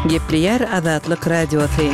Gepleýär Azatlyk Radiosy.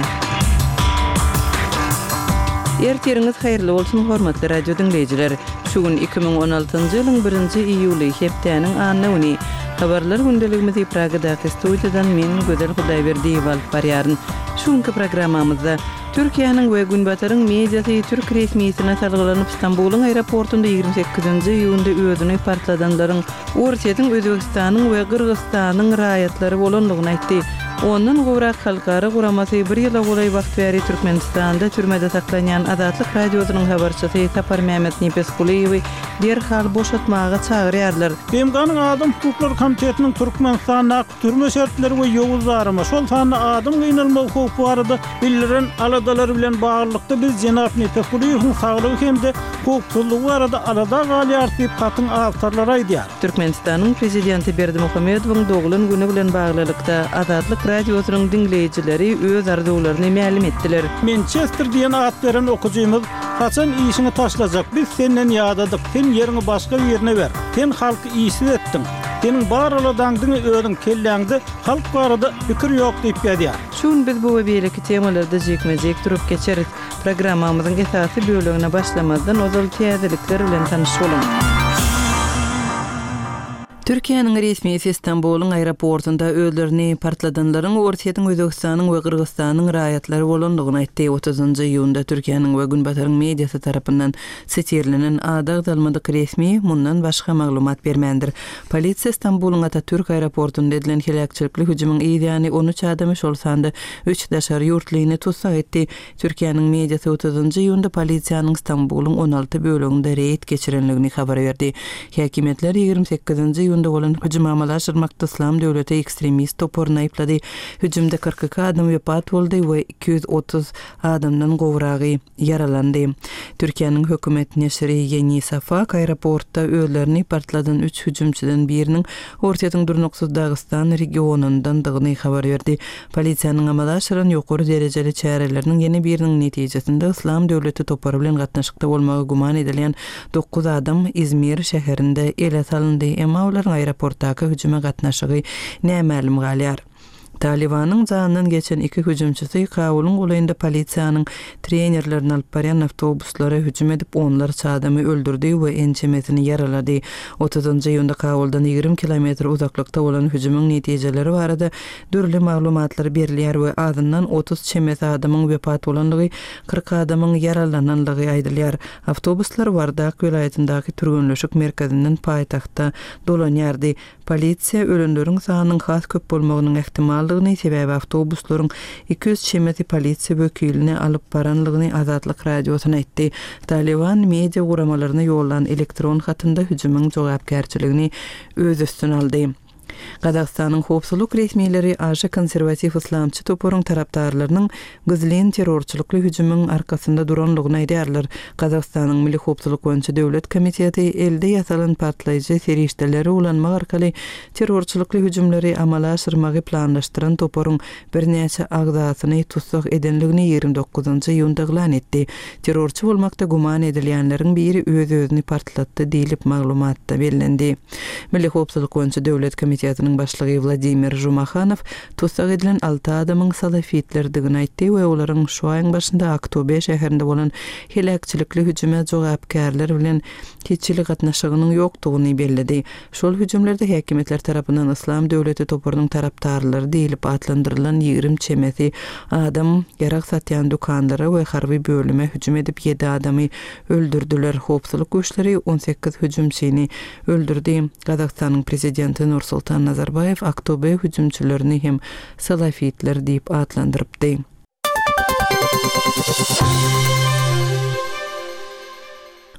Ertiriňiz haýyrly bolsun, hormatly radio diňleýjiler! Şu gün 2016-njy ýylyň birinji iýuly, hepdäniň anna güni. Habarlar gündeligimizi Pragadaky studiýadan men, Gözel Hudaýberdiýewa alyp barýaryn. Şu günki programmamyzda Türkiýäniň we Günbataryň mediasy türk resmisine salgylanyp, Stambulyň aeroportunda 28-nji iýunda özüni partladanlaryň Orsýetiň, Özbegistanyň we Gyrgyzystanyň raýatlary bolandygyny aýtdy. Ondan gowrak halkara guramasy bir ýyla golaý wagt bäri Türkmenistanda türmede saklanýan Azatlyk Radiosynyň habarçysy Saparmämmet Nepesgulyýewi derhal boşatmaga çagyrýarlar. BMG-niň Adam hukuklary komitetiniň Türkmenistandaky Türme şertleri we ýowuz darama, şol sanda adam gynalmagy howpy barada bildiren aladalary bilen baglylykda biz jenap Nepesgulyýewiň saglygy hem-de howpsuzlygy barada alada galýarys diýip, hatyň awtorlary aýdýar. Türkmenistanyň Prezidenti Berdimuhamedowyň doglan güni bilen baglylykda, Azatlyk Radiosynyň diňleýjileri öz arzuwlaryny mälim etdiler. Mençester diýen at beren okyjymyz, Haçan işiňi taşlajak, biz senden ýadadyk, sen ýeriňi başga birine ber, sen halky işsiz etdiň. Seniň bar aladaň diňe özüň kelläňde halk barada pikir ýok diýip ýazýar. Şu gün biz bu we beýleki temalarda jikme-jik durup geçeris. Programmamyzyň esasy bölegine başlamazdan ozal täzelikler bilen tanyş boluň. Türkiýäniň resmisi Stambulyň aeroportunda özlerini partladanlaryň Orsýetiň, Özbegistanyň we Gyrgyzystanyň raýatlary bolandygyny aýtdy. Otuzynjy iýunda Türkiýäniň we Günbataryň mediasy tarapyndan Sitirlenen ady agzalmadyk resmi mundan başga maglumat bermändir. Polisiýa Stambulyň Atatürk aeroportunda edilen heläkçilikli hüjümiň yz ýany 13 adamy, şol sanda üç daşary ýurtlyny tussag etdi. Türkiýäniň mediasy otuzynjy iýunda polisiýanyň Stambulyň 16 böleginde reýd geçirendigini habar berdi. Häkimiýetler 28-nji iýunda bolan hüjümi amala aşyrmakda Yslam döwleti ekstremist toparyny aýyplady. Hüjümde 42 adam wepat boldy we 230 adamdan gowragy ýaralandy. Türkiýäniň hökümet neşiri Ýeni Safak aeroportda özlerini partladan üç hüjümçiden biriniň Orsýetiň durnuksyz Dagystan regionyndandygyny habar berdi. Polisiýanyň amala aşyran ýokary derejeli çäreleriniň ýene biriniň netijesinde Yslam döwleti topary bilen gatnaşykda bolmagy güman edilýän dokuz adam Izmir şäherinde ele salyndy, emma olaryň aeroportdaky hüjüme gatnaşygy nämälim galýar. Talybanyň janyndan geçen iki hüjümçisi Kabulyň golaýynda polisiýanyň trenerlerini alyp barýan awtobuslara hüjüm edip, onlarça adamy öldürdi we ençemesini ýaralady. Otuzynjy iýunda Kabuldan 20 kilometr uzaklykda bolan hüjümiň netijeleri barada dürli maglumatlar berilýär we azyndan 30 çemesi adamyň wepat bolandygy, 40 adamyň ýaralanandygy aýdylýar. Awtobuslar Wardak welaýatyndaky türgenleşik merkezinden paýtagta dolanýardy. Polisiýa ölenleriň sanynyň has köp bolmagynyň ähtimaldygyny, sebäbi awtobuslaryň 200 çemesi polisiýa wekilini alyp baranlygyny Azatlyk Radiosyna aýtdy. Talyban media guramalaryna ýollan elektron hatynda hüjümiň jogapkärçiligini öz üstüne aldy. Gazagystanyň howpsuzlyk resmileri aşa konserwatiw yslamçy toparyň tarapdarlarynyň Gizlin terrorçylykly hüjümiň arkasynda duranlygyny aýdýarlar. Gazagystanyň Milli howpsuzlyk boýunça döwlet komiteti elde ýasalan partlaýjy serişdeleri ulanmak arkaly terrorçylykly hüjümleri amala aşyrmagy planlaşdyran toparyň birnäçe agzasyny tussag edenligini 29 iýunda yglan etdi. Terrorçy bolmakda güman edilýänleriň biri öz-özüni partlatdy diýlip, maglumatda bellendi. Milli howpsuzlyk boýunça döwlet komitetiniň başlygy Wladimir Žumahanow Tussag edilen alty adamyň salafitlerdigini aýtdy we olaryň şu aýyň başynda Aktobe şäherinde bolan heläkçilikli hüjüme jogapkärler bilen hiç hili gatnaşygynyň ýokdugyny belledi. Şol hüjümlerde häkimiýetler tarapyndan Yslam döwleti toparynyň tarapdarlary diýlip atlandyrylan 20 çemesi adam ýarag satýan dükanlara we harby bölüme hüjüm edip ýedi adamy öldürdiler. Howpsuzlyk güýçleri 18 hüjümçini öldürdi. Gazagystanyň prezidenti Nursultan Nazarbaýew Aktobe hüjümçilerini hem salafitler diýip atlandyrypdy.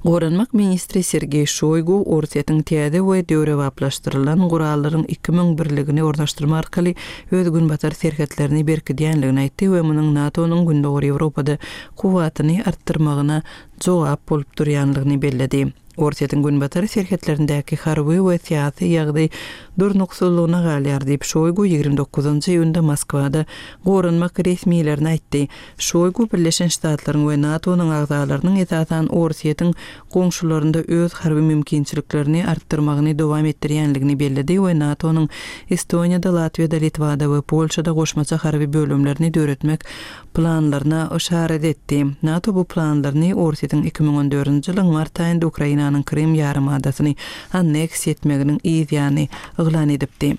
Goranmak ministri Sergeý Şoýgu Orsýetiň täze we döwrebaplaşdyrylan gurallaryň 2000 birligini ornaşdyrmak arkaly öz günbatar serhetlerini berkidýänligini aýtdy we munuň NATO-nyň Gündogar Ýewropada kuwwatyny artdyrmagyna jogap bolup durýanlygyny belledi. Orsýetiň günbatar serhetlerindäki harby we syýasy ýagdaý durnuksyzlygyna galýar diýip, Şoýgu 29 iýunda Moskwada goranmak resmilerine aýtdy. Şoýgu Birleşen Ştatlaryň we NATO-nyň agzalarynyň esasan Orsýetiň goňşularynda öz harby mümkinçiliklerini artdyrmagyny dowam etdirýänligini belledi we NATO-nyň Estoniýada, Latwiýada, Litwada we Polşada goşmaça harby bölümlerini döretmek planlaryna yşarat etdi. NATO bu planlaryny Orsýetiň 2014-nji ýylyň mart aýynda Ukrainanyň Krym ýarymadasyny anneksiýa etmeginiň yz ýany yglan edipdi.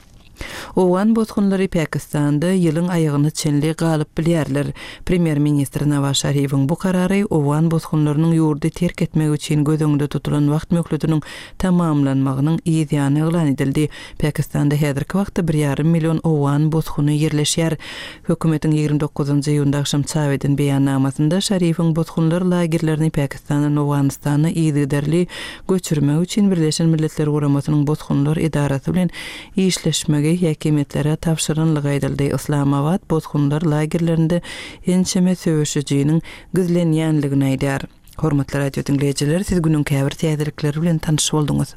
Owgan bosgunlary Pakistanda ýylyň aýagyna çenli galyp bilýärler. Premýer-ministr Nawaz Şarifiň bu karary owgan bosgunlarynyň ýurdy terk etmegi üçin göz öňünde tutulan wagt möhletiniň tamamlanmagynyň yz ýany yglan edildi. Pakistanda häzirki wagtda bir ýarym million owgan bosguny ýerleşýär. Hökümetiň 29 iýunda agşam çap eden beýannamasynda Şarifiň bosgunlar lagerlerini Pakistandan Owganystana yzygiderli göçürmek üçin Birleşen Milletler Guramasynyň Bosgunlar edarasy bilen işleşmegi häkimiýetlere tabşyranlygy aýdyldy. Yslamabat bosgunlar lagerlerinde ençeme söweşijiniň gizlenýänligini aýdýar. Hormatly radio diňleýjiler, siz günüň käbir täzelikleri bilen tanyş bolduňyz.